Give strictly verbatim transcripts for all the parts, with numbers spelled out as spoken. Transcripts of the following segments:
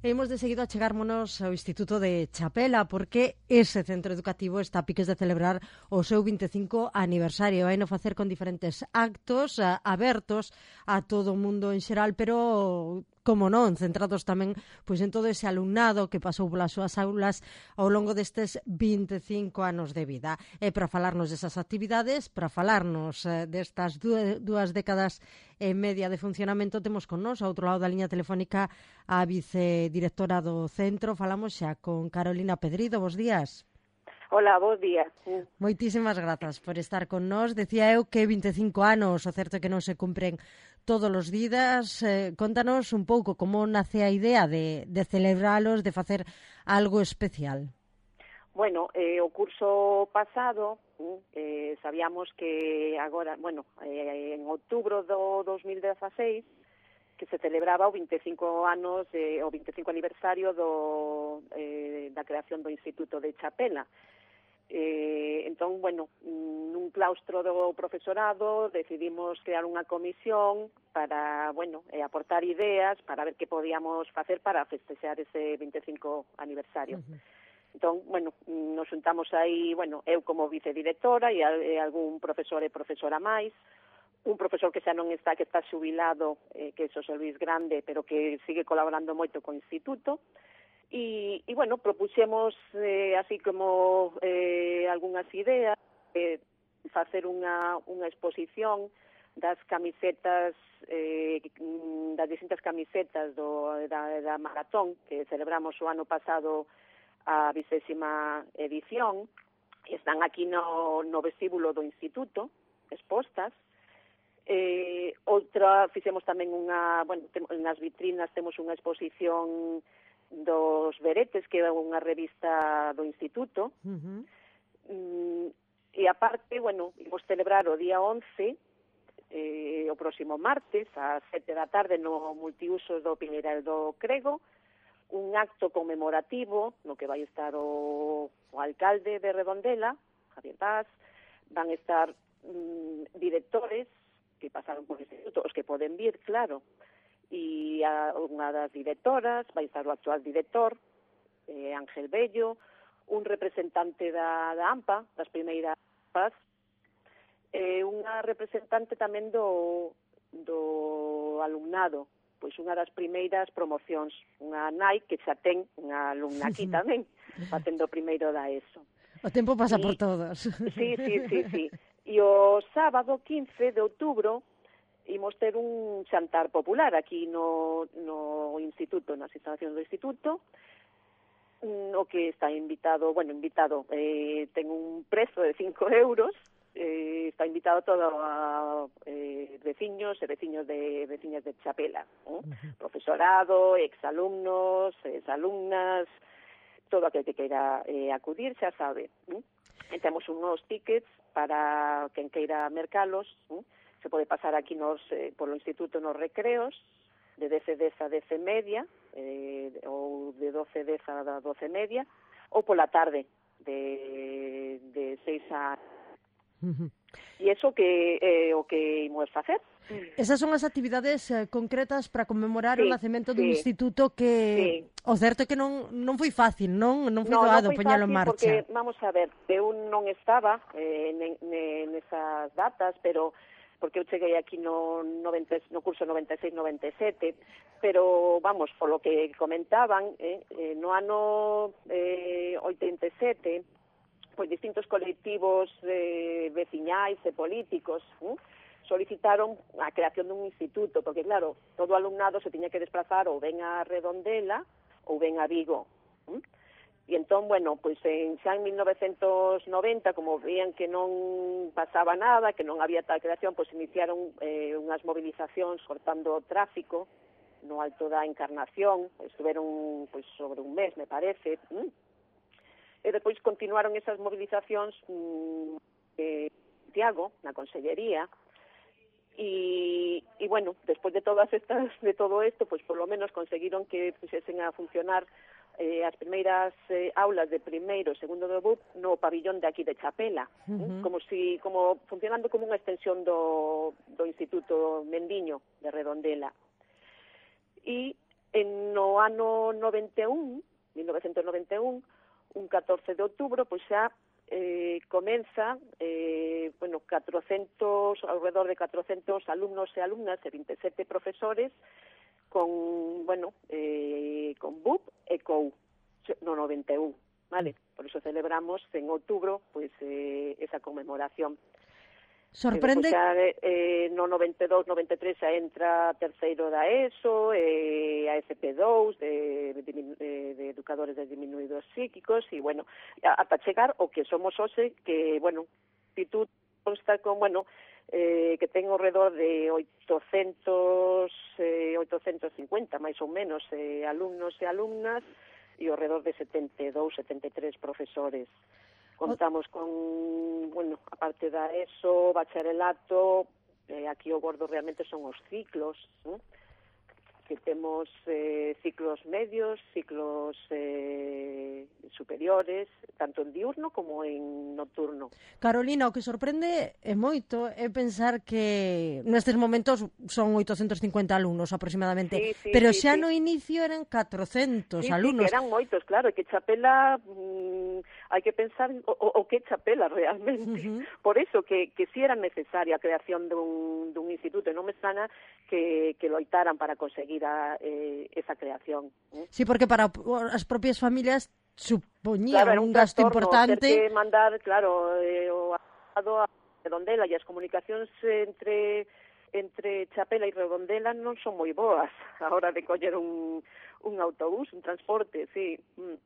Imos de seguido a chegármonos ao Instituto de Chapela, porque ese centro educativo está a piques de celebrar o seu vinte e cinco aniversario. Vai no facer con diferentes actos a, abertos a todo o mundo en xeral, pero, como non, centrados tamén pois en todo ese alumnado que pasou polas súas aulas ao longo destes vinte e cinco anos de vida. E para falarnos desas actividades, para falarnos eh, destas dúas décadas e media de funcionamento, temos con nós, ao outro lado da liña telefónica, a vicedirectora do centro. Falamos xa con Carolina Pedrido. Bos días. Hola, bos días. Moitísimas grazas por estar con nós. Decía eu que vinte e cinco anos, o certo é que non se cumpren todos os días. Eh, contanos un pouco como nace a idea de, de celebralos, de facer algo especial. Bueno, eh, o curso pasado eh, sabíamos que agora, bueno, eh, en outubro do dos mil dezaseis que se celebraba o vinte e cinco anos, eh, o vinte e cinco aniversario do, eh, da creación do Instituto de Chapela. Eh, entón, bueno, nun claustro do profesorado decidimos crear unha comisión para, bueno, eh, aportar ideas para ver que podíamos facer para festexar ese vinte e cinco aniversario. Uh-huh. Entón, bueno, nos juntamos aí, bueno, eu como vicedirectora e, e algún profesor e profesora máis, un profesor que xa non está, que está xubilado, eh, que é Xosé Luis Grande, pero que sigue colaborando moito co Instituto, e, e bueno, propuxemos eh, así como eh, algunhas ideas, eh, facer unha, unha exposición das camisetas, eh, das distintas camisetas do, da, da maratón que celebramos o ano pasado a vigésima edición, están aquí no, no vestíbulo do Instituto, expostas. Eh, outra, fixemos tamén unha, bueno, tem, nas vitrinas temos unha exposición dos Veretes, que é unha revista do Instituto. Uh-huh. Mm, e aparte, bueno, imos celebrar o día once, eh, o próximo martes, ás sete da tarde, no multiusos do Piñeral do Crego, un acto conmemorativo no que vai estar o, o alcalde de Redondela, Javier Paz, van estar mm, directores que pasaron por o instituto, os que poden vir, claro, e a, unha das directoras, vai estar o actual director, eh, Ángel Bello, un representante da, da AMPA, das primeiras Paz, e unha representante tamén do, do alumnado, pois unha das primeiras promocións, unha nai que xa ten unha alumna aquí tamén, facendo o primeiro da ESO. O tempo pasa y, por todos. Sí, sí, sí, sí. E o sábado quince de outubro imos ter un xantar popular aquí no, no instituto, nas instalacións do instituto, o que está invitado, bueno, invitado, eh, ten un prezo de cinco euros, Eh, está invitado todo a eh, veciños e veciños de veciñas de Chapela, ¿eh? Uh-huh. Profesorado, exalumnos, exalumnas, todo aquel que queira eh, acudir xa sabe. ¿eh? E temos unos tickets para quen queira mercalos, ¿eh? Se pode pasar aquí nos eh, polo instituto nos recreos, de dez dez a dez e media, eh, ou de doce dez a doce e media, ou pola tarde, de, de seis a... Uh-huh. E iso que é eh, o que imos facer. Esas son as actividades eh, concretas para conmemorar sí, o nacemento sí, dun instituto que sí. O certo é que non, non foi fácil, non non foi no, doado non foi poñelo en fácil marcha. Porque, vamos a ver, eu non estaba eh, nesas datas, pero porque eu cheguei aquí no, noventa, no curso noventa e seis noventa e sete, pero, vamos, polo que comentaban, eh, eh, no ano eh, oitenta e sete, pois distintos colectivos eh, veciñais e políticos eh, solicitaron a creación dun instituto, porque claro, todo alumnado se tiña que desplazar ou ben a Redondela ou ben a Vigo. Eh? E entón, bueno, pois en, xa en mil novecentos noventa, como veían que non pasaba nada, que non había tal creación, pois iniciaron eh, unhas movilizacións cortando o tráfico no Alto da Encarnación, estuveron pois sobre un mes, me parece, eh? E depois continuaron esas movilizacións mmm, eh, Santiago, na Consellería, e, e bueno, despois de todas estas, de todo isto, pois por lo menos conseguiron que puxesen a funcionar eh, as primeiras eh, aulas de primeiro e segundo do B U P no pabillón de aquí de Chapela, uh-huh. eh, como si, como funcionando como unha extensión do, do Instituto Mendiño de Redondela. E en no ano noventa e un, mil novecentos noventa e un, un catorce de outubro, pois xa eh, comeza, eh, bueno, catrocentos, alrededor de catrocentos alumnos e alumnas e vinte e sete profesores con, bueno, eh, con B U P e C O U, no noventa e un, vale? Por iso celebramos en outubro, pois, eh, esa conmemoración. Sorprende... E xa, eh, no noventa e dous, noventa e tres xa entra terceiro da ESO, eh, a S P dous de, de, de educadores de diminuídos psíquicos, e, bueno, ata chegar o que somos hoxe, que, bueno, instituto consta con, bueno, eh, que ten ao redor de oitocentos, eh, oitocentos cincuenta, máis ou menos, eh, alumnos e alumnas, e ao redor de setenta e dous, setenta e tres profesores. Contamos con, bueno, a parte da ESO, bacharelato, eh, aquí o gordo realmente son os ciclos, ¿no? Que temos eh, ciclos medios, ciclos eh, superiores, tanto en diurno como en nocturno. Carolina, o que sorprende é moito é pensar que nestes momentos son oitocentos cincuenta alumnos aproximadamente, sí, sí, pero sí, xa sí. no inicio eran catrocentos sí, alumnos. Sí, que eran moitos, claro, e que Chapela, mmm, hai que pensar o, o que Chapela realmente. Uh-huh. Por iso que, que si era necesaria a creación dun, dun instituto, e non me sana que, que loitaran para conseguir a, eh, esa creación. ¿eh? Sí, porque para as propias familias supoñía claro, un, un gasto trastorno, importante. Ter que mandar, claro, eh, o a Redondela, e as comunicacións entre entre Chapela e Redondela non son moi boas a hora de coller un, un autobús, un transporte, sí. Mm.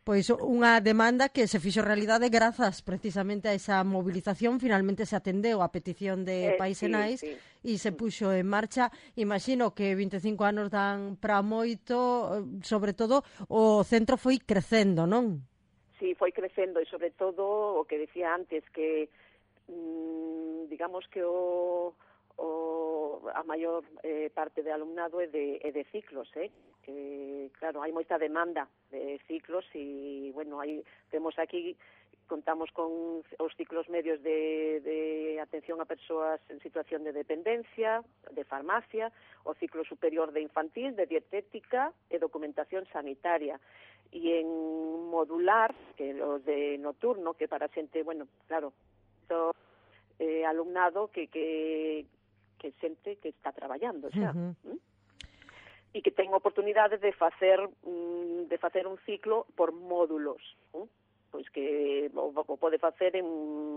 Pois unha demanda que se fixo realidade grazas precisamente a esa movilización, finalmente se atendeu a petición de eh, Pais sí, e Nais sí. e se puxo en marcha. Imagino que vinte e cinco anos dan para moito, sobre todo o centro foi crecendo, non? Sí, foi crecendo e sobre todo o que decía antes que mmm, digamos que o o a maior eh, parte de alumnado é de, é de ciclos, eh? Que, claro, hai moita demanda de ciclos e, bueno, aí temos aquí, contamos con os ciclos medios de, de atención a persoas en situación de dependencia, de farmacia, o ciclo superior de infantil, de dietética e documentación sanitaria. E en modular, que os de nocturno, que para xente, bueno, claro, to, eh, alumnado que, que que xente que está traballando xa. Uh-huh. ¿Mm? E que ten oportunidade de facer mm, de facer un ciclo por módulos, ¿eh? Pois que o, o pode facer en,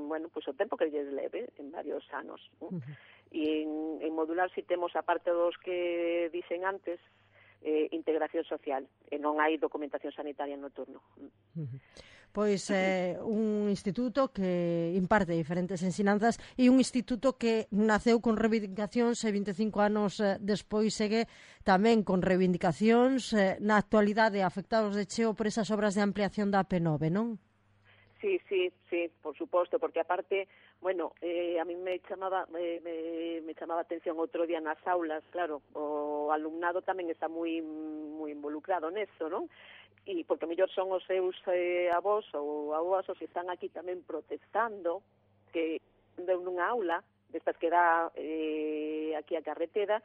bueno, pois o tempo que lles leve, en varios anos. ¿eh? Uh-huh. E en, en modular si temos, aparte dos que dicen antes, eh, integración social, e non hai documentación sanitaria no turno. Uh-huh. Pois é eh, un instituto que imparte diferentes ensinanzas e un instituto que naceu con reivindicacións e vinte e cinco anos eh, despois segue tamén con reivindicacións eh, na actualidade afectados de cheo por esas obras de ampliación da A P nove, non? Sí, sí, sí, por suposto, porque aparte, bueno, eh, a mí me chamaba eh, me, me chamaba atención outro día nas aulas, claro, o alumnado tamén está moi moi involucrado neso, non? E porque mellor son os seus eh, avós ou avós os que están aquí tamén protestando que deu nunha aula destas que dá eh, aquí a carretera,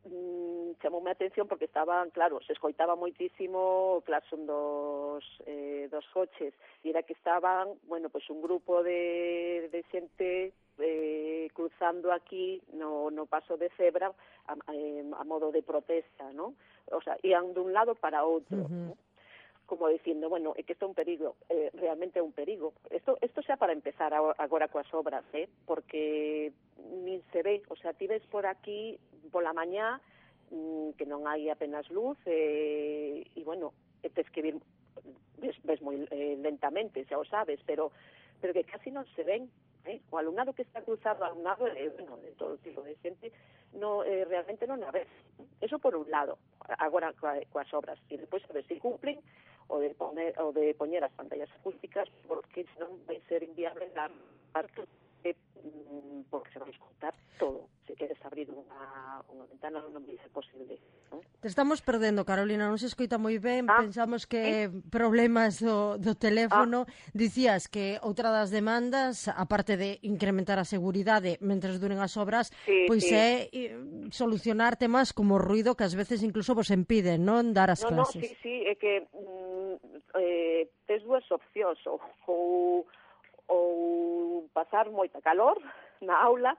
mm, chamoume a atención porque estaban, claro, se escoitaba moitísimo o claxon dos, eh, dos coches e era que estaban, bueno, pois un grupo de, de xente eh, cruzando aquí no, no paso de cebra a, a, a modo de protesta, ¿no? O sea, ian dun lado para outro, uh-huh. ¿no? Como dicindo, bueno, é que isto é un perigo, eh, realmente é un perigo. Isto, isto xa para empezar agora coas obras, eh? Porque nin se ve, o sea, ti ves por aquí pola mañá mmm, que non hai apenas luz e, e bueno, e tes que vir, ves, ves moi eh, lentamente, xa o sabes, pero pero que casi non se ven. Eh? O alumnado que está cruzado, alumnado eh, bueno, de todo tipo de xente, no, eh, realmente non a ves. Eso por un lado, agora coas obras, e depois a ver se cumplen o de poner o de poñer as pantallas acústicas, porque senón vai ser inviable dar parte de, porque se vai escutar todo. Se queres abrir unha, unha ventana non vai ser posible, ¿no? Te estamos perdendo, Carolina, non se escoita moi ben, ah, pensamos que eh? problemas do, do teléfono. Ah. Dicías que outra das demandas, aparte de incrementar a seguridade mentres duren as obras, sí, pois sí. é solucionar temas como o ruido que ás veces incluso vos impiden, non, dar as no, clases. No, sí, sí, é que mm, eh, tes dúas opcións, ou, ou, ou pasar moita calor na aula,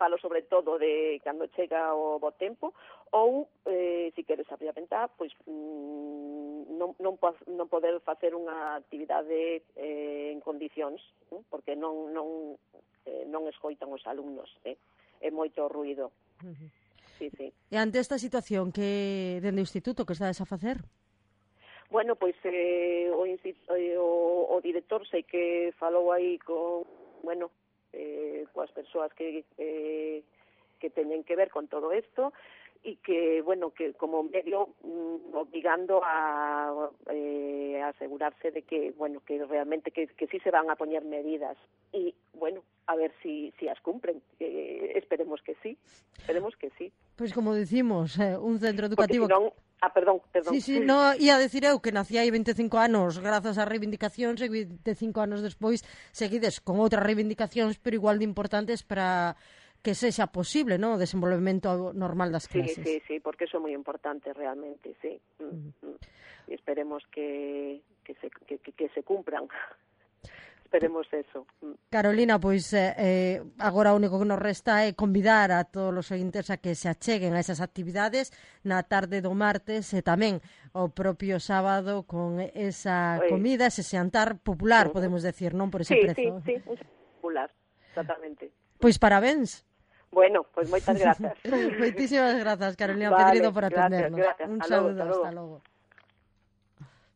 falo sobre todo de cando chega o bo tempo, ou, eh, se queres abrir a ventá, pois mm, non, non, non poder facer unha actividade eh, en condicións, eh, porque non, non, eh, non escoitan os alumnos, eh, é moito ruido. Uh-huh. Sí, sí. E ante esta situación, que dende o instituto que estades a facer? Bueno, pois eh, o, o, o director sei que falou aí con, bueno, eh, coas persoas que, eh, que teñen que ver con todo isto, e que, bueno, que como medio mm, obligando a eh, asegurarse de que, bueno, que realmente que, que sí se van a poñer medidas, e, bueno, a ver si, si as cumplen, eh, esperemos que sí, esperemos que sí. Pois como dicimos, eh, un centro educativo... Porque senón, ah, perdón, perdón. Sí, sí, no, ia decir eu que nací hai veinticinco anos grazas ás reivindicacións e veinticinco anos despois seguides con outras reivindicacións, pero igual de importantes para que sexa posible, ¿no?, o desenvolvemento normal das clases. Sí, sí, sí, porque eso é moi importante realmente, sí. Mm, mm. E esperemos que, que, se, que, que se cumpran. Esperemos eso. Carolina, pois eh, agora o único que nos resta é convidar a todos os ointes a que se acheguen a esas actividades na tarde do martes e tamén o propio sábado con esa comida, ese xantar popular, podemos decir, non por ese sí, prezo. Sí, sí, un popular, exactamente. Pois parabéns. Bueno, pois pues moitas grazas. Moitísimas grazas, Carolina vale, Pedrido, por atendernos. Gracias, gracias. Un hasta saludo, luego, hasta luego. hasta logo.